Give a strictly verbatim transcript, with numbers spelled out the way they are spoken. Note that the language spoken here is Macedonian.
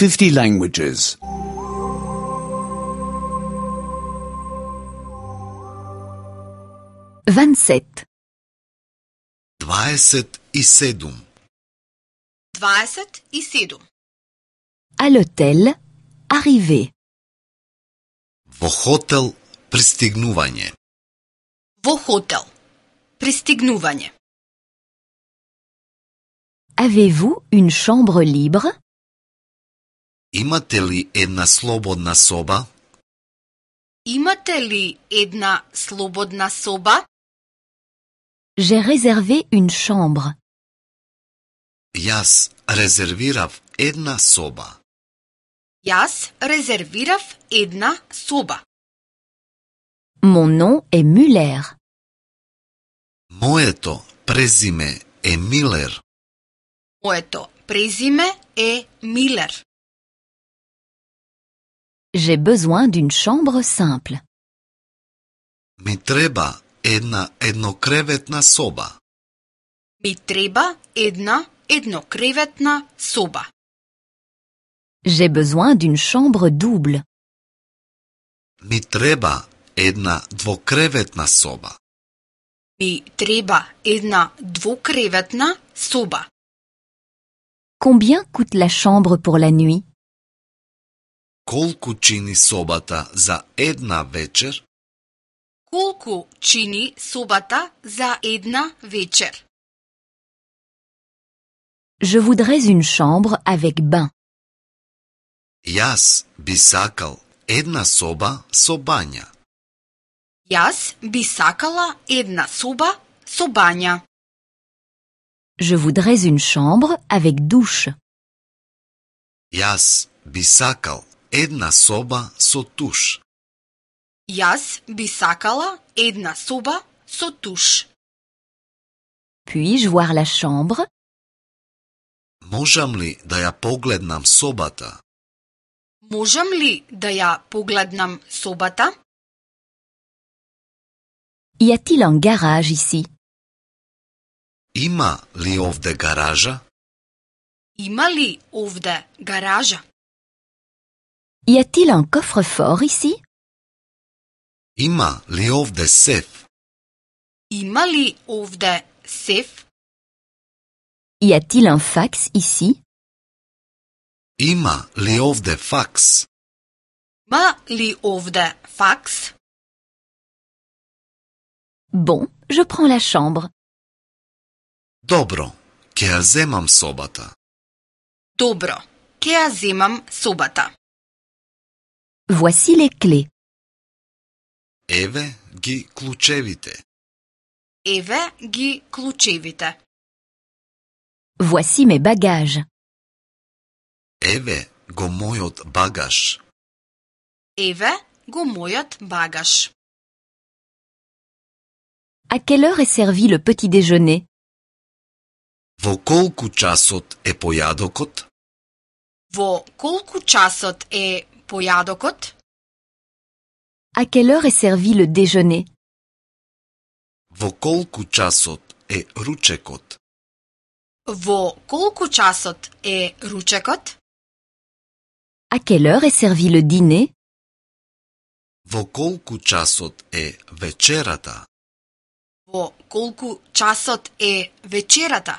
fifty languages. vingt-sept. дваесет и седум. дваесет и седум. À l'hôtel, arrivé. Во хотел пристигнување. Во хотел. Пристигнување. Avez-vous une chambre libre? Имате ли една слободна соба? Имате ли една слободна соба? J'ai réservé une chambre. Јас резервирав една соба. Јас резервирав една соба. Mon nom est Muller. Моето презиме е Милер. Моето презиме е Милер. J'ai besoin d'une chambre simple. Ми треба една еднокреветна соба. Ми треба една еднокреветна соба. J'ai besoin d'une chambre double. Ми треба една двокреветна соба. Ми треба една двукреветна соба. Combien coûte la chambre pour la nuit? Колку чини собата за една вечер? Колку чини собата за една вечер? Je voudrais une chambre avec bain. Јас би сакал една соба со бања. Јас би сакала една соба со бања. Je voudrais une chambre avec douche. Јас би сакал една соба со туш. Јас би сакала една соба со туш. Puis-je voir la chambre? Можам ли да ја погледнам собата? Можам ли да ја погледнам собата? Y a-t-il un garage ici? Има ли овде гаража? Има ли овде гаража? Y a-t-il un coffre-fort ici? Има ли овде сеф? Има ли овде сеф? Y a-t-il un fax ici? Има ли овде факс? Има ли овде факс? Bon, je prends la chambre. Добро, ќе ја земам собата. Добро, ќе ја земам собата. Voici les clés. Еве ги клучевите. Еве ги клучевите. Voici mes bagages. Еве го мојот багаж. Еве го мојот багаж. À quelle heure est servi le petit déjeuner? Во колку часот е појадокот? Во колку часот е појадокот? À quelle heure est servi le déjeuner? Во колку часот е ручекот? Во колку часот е ручекот? À quelle heure est servi le dîner? Во колку часот е вечерата? Во колку часот е вечерата?